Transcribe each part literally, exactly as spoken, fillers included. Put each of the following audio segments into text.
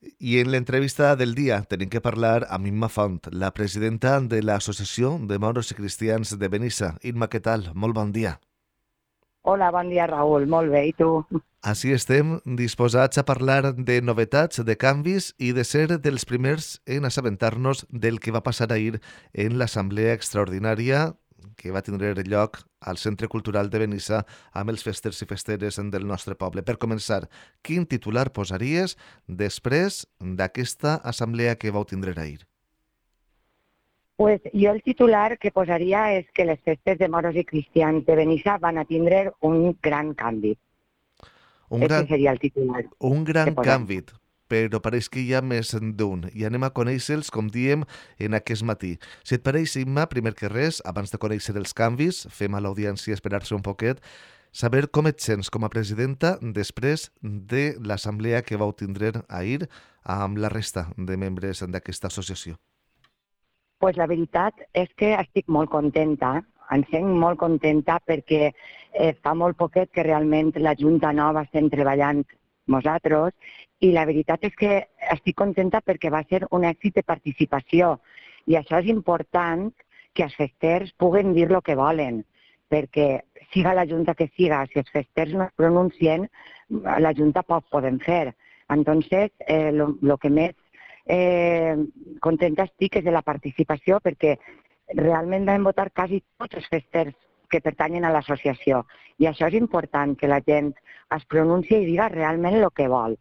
I en l'entrevista del dia tenim que parlar amb Imma Font, la presidenta de l'Associació de Moros i Cristians de Benissa. Imma, què tal? Molt bon dia. Hola, bon dia, Raül. Molt bé, i tu? Així estem disposats a parlar de novetats, de canvis i de ser dels primers en assabentar-nos del que va passar ahir en l'Assemblea Extraordinària que va tindre lloc al Centre Cultural de Benissa amb els festers i festeres del nostre poble. Per començar, quin titular posaries després d'aquesta assemblea que vau tindre ahir? Pues jo el titular que posaria és que les festes de moros i cristians de Benissa van a tindre un gran canvi. Un Aquest gran, seria el titular un que gran posaria. canvi, però pareix que hi ha més d'un i anem a conèixer-los, com diem, en aquest matí. Si et pareix, Imma, primer que res, abans de conèixer els canvis, fem a l'audiència esperar-se un poquet, saber com et sents com a presidenta després de l'assemblea que vau tindre ahir amb la resta de membres d'aquesta associació. Pues la veritat és que estic molt contenta, em sent molt contenta perquè eh, fa molt poquet que realment la Junta Nova estem treballant nosaltres i la veritat és que estic contenta perquè va ser un èxit de participació i això és important que els festers puguen dir el que volen, perquè siga la Junta que siga, si els festers no es pronuncien, la Junta poc podem fer. Entonces, eh, lo, lo que més eh, contenta estic és de la participació perquè realment vam votar quasi tots els festers que pertanyen a l'associació. I això és important, que la gent es pronunci i diga realment el que vol.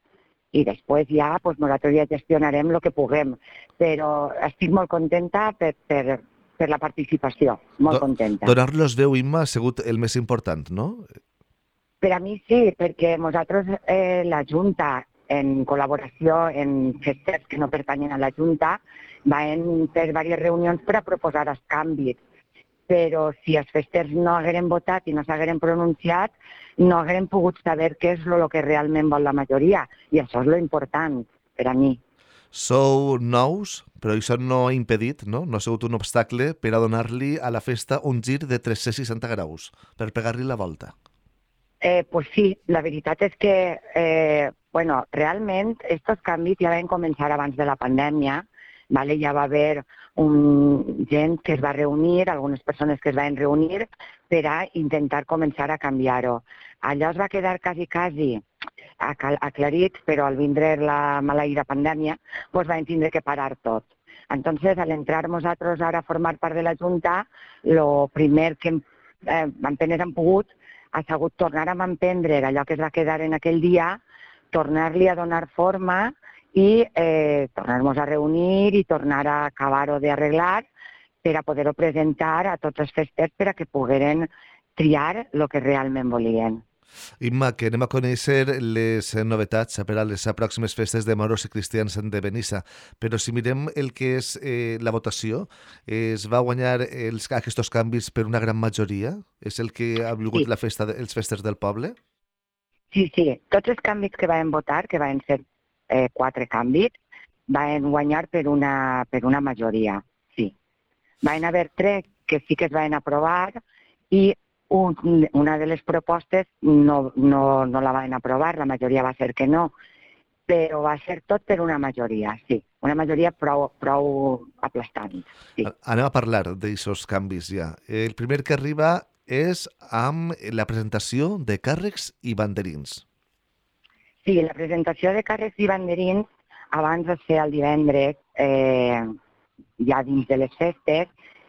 I després ja pues, nosaltres ja gestionarem el que puguem. Però estic molt contenta per, per, per la participació, molt Do contenta. Donar-los veu, Imma, ha sigut el més important, no? Per a mi sí, perquè nosaltres, eh, la Junta, en col·laboració amb festers que no pertanyen a la Junta, vam fer diverses reunions per a proposar els canvis. Però si els festers no hagueren votat i no s'hagueren pronunciat, no hagueren pogut saber què és el que realment vol la majoria. I això és lo important per a mi. Sou nous, però això no ha impedit, no? No ha sigut un obstacle per a donar-li a la festa un gir de tres-cents seixanta graus, per pegar-li la volta. Eh, pues sí, la veritat és que, eh, bueno, realment, estos canvis ja van començar abans de la pandèmia, vale? Ja va haver un, gent que es va reunir, algunes persones que es van reunir per a intentar començar a canviar-ho. Allò es va quedar quasi, quasi aclarit, però al vindre la maleïda pandèmia, doncs vam tindre que parar tot. Entonces, al entrar nosaltres ara a formar part de la Junta, el primer que hem, eh, apenas hem pogut ha sigut tornar a emprendre allò que es va quedar en aquell dia, tornar-li a donar forma i eh, tornar-nos a reunir i tornar a acabar-ho d'arreglar per a poder-ho presentar a tots els festers per a que pogueren triar el que realment volien. Imma, que anem a conèixer les novetats per a les pròximes festes de moros i cristians de Benissa, però si mirem el que és eh, la votació, es va guanyar els, aquests canvis per una gran majoria? És el que ha volgut Sí, la festa, de, els festes del poble? sí, sí. Tots els canvis que vam votar, que van ser eh, quatre canvis, van guanyar per una, per una majoria, sí. Van haver tres que sí que es van aprovar i un, una de les propostes no, no, no la van aprovar, la majoria va ser que no, però va ser tot per una majoria, sí. Una majoria prou, prou aplastant, sí. Anem a parlar d'aixòs canvis ja. El primer que arriba és amb la presentació de càrrecs i banderins. Sí, la presentació de càrrecs i banderins abans de ser el divendres, eh, ja dins de les festes,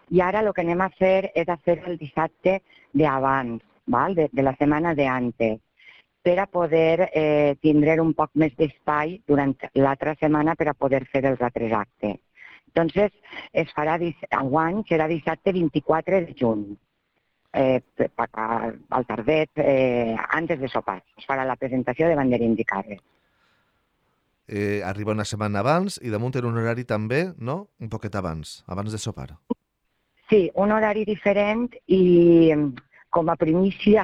i ara el que anem a fer és a fer el dissabte d'abans, val? de, de la setmana d'antes, per a poder eh, tindre un poc més d'espai durant l'altra setmana per a poder fer els altres actes. Entonces, es farà, enguany serà dissabte vint-i-quatre de juny, eh, al tardet, eh, antes de sopar. Es farà la presentació de banderins i càrrecs. Eh, arriba una setmana abans i damunt en un horari també, no? Un poquet abans, abans de sopar. Sí, un horari diferent i com a primícia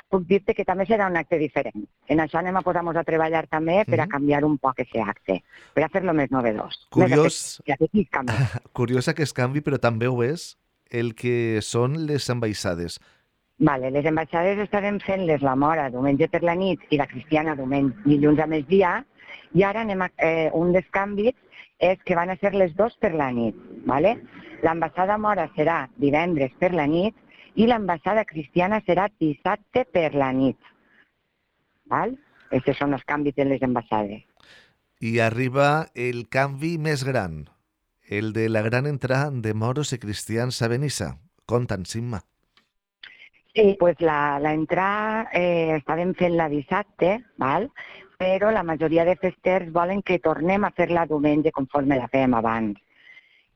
puc dir-te que també serà un acte diferent. En això anem a posar-nos a treballar també per a canviar un poc aquest acte, per a fer-lo més novedós. Curiós, Més curiós aquest canvi, però també ho és el que són les ambaixades. Vale, les ambaixades estarem fent-les la mora diumenge per la nit i la cristiana diumenge, dilluns a migdia, i ara anem a, eh, un dels canvis és que van a ser les dos per la nit. Vale? L'ambaixada mora serà divendres per la nit i l'ambaixada cristiana serà dissabte per la nit. Val? Aquests són els canvis de les ambaixades. I arriba el canvi més gran, el de la gran entrada de moros i cristians a Benissa. Conta'ns, Imma. Sí, pues la, la entrada eh, estàvem fent-la dissabte, val? Però la majoria de festers volen que tornem a fer-la diumenge conforme la fèiem abans.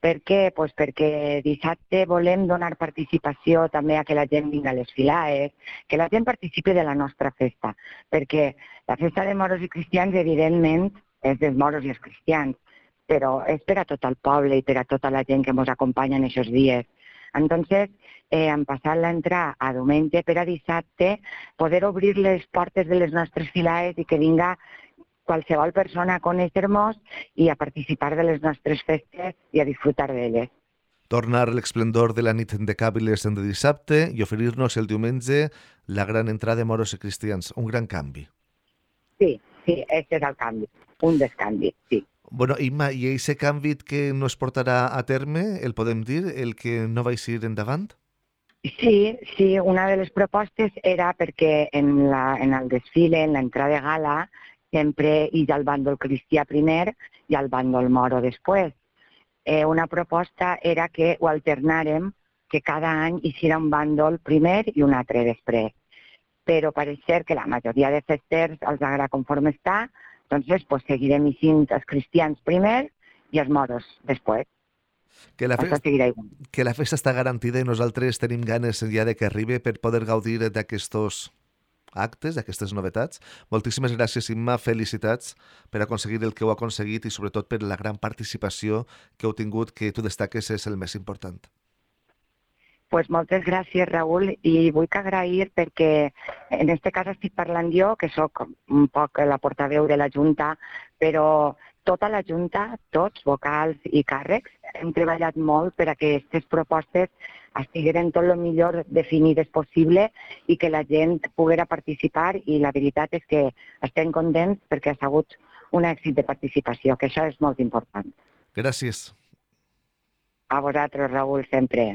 Per què? Pues perquè dissabte volem donar participació també a que la gent vingui a les filades, que la gent participi de la nostra festa, perquè la festa de moros i cristians, evidentment, és dels moros i els cristians, però és per a tot el poble i per a tota la gent que ens acompanya en aquests dies. Entonces, eh, hem passat l'entrada a diumenge per a dissabte, poder obrir les portes de les nostres filades i que vinga qualsevol persona a conèixer-nos i a participar de les nostres festes i a disfrutar d'elles. Tornar l'esplendor de la nit de Càbiles de dissabte i oferir-nos el diumenge la gran entrada de moros i cristians. Un gran canvi. Sí, sí, aquest és el canvi, un dels canvis, sí. Bueno, Imma, i aquest canvi que no es portarà a terme, el podem dir, el que no va eixir endavant? Sí, sí, una de les propostes era perquè en, la, en el desfile, en l'entrada de gala, sempre hi ha el bàndol cristià primer i el bàndol moro després. Eh, una proposta era que ho alternàrem, que cada any hi serà un bàndol primer i un altre després. Però pareix ser que la majoria de festers els agrada conforme està, doncs pues, seguirem eixint els cristians primer i els moros després. Que la, festa, que la festa està garantida i nosaltres tenim ganes ja de que arribi per poder gaudir d'aquests actes, d'aquestes novetats. Moltíssimes gràcies, Imma, felicitats per aconseguir el que heu aconseguit i sobretot per la gran participació que heu tingut, que tu destaques és el més important. Pues moltes gràcies, Raül, i vull agrair perquè en aquest cas estic parlant jo, que sóc un poc la portaveu de la Junta, però tota la Junta, tots, vocals i càrrecs, hem treballat molt per a que aquestes propostes estigueren tot el millor definides possible i que la gent poguera participar, i la veritat és que estem contents perquè ha sigut un èxit de participació, que això és molt important. Gràcies. A vosaltres, Raül, sempre.